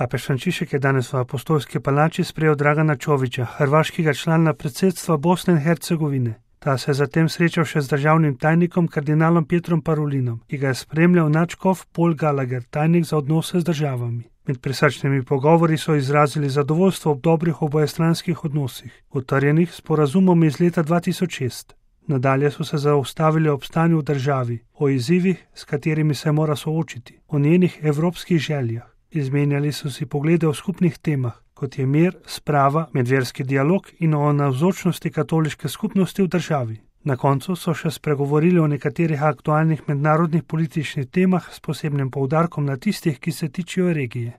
Papež Frančišek je danes v Apostolski palači sprejel Dragana Čovića, hrvaškega člana predsedstva Bosne in Hercegovine. Ta se je zatem srečal še z državnim tajnikom kardinalom Pietrom Parulinom, ki ga je spremljal nadškof Paul Gallagher, tajnik za odnose z državami. Med prisrčnimi pogovori so izrazili zadovoljstvo ob dobrih obojestranskih odnosih, utrjenih sporazumom iz leta 2006. Nadalje so se zaustavili ob stanju v državi, o izzivih, s katerimi se mora soočiti, o njenih evropskih željah. Izmenjali so si poglede o skupnih temah, kot je mir, sprava, medverski dialog in o navzočnosti katoliške skupnosti v državi. Na koncu so še spregovorili o nekaterih aktualnih mednarodnih političnih temah s posebnim poudarkom na tistih, ki se tičejo regije.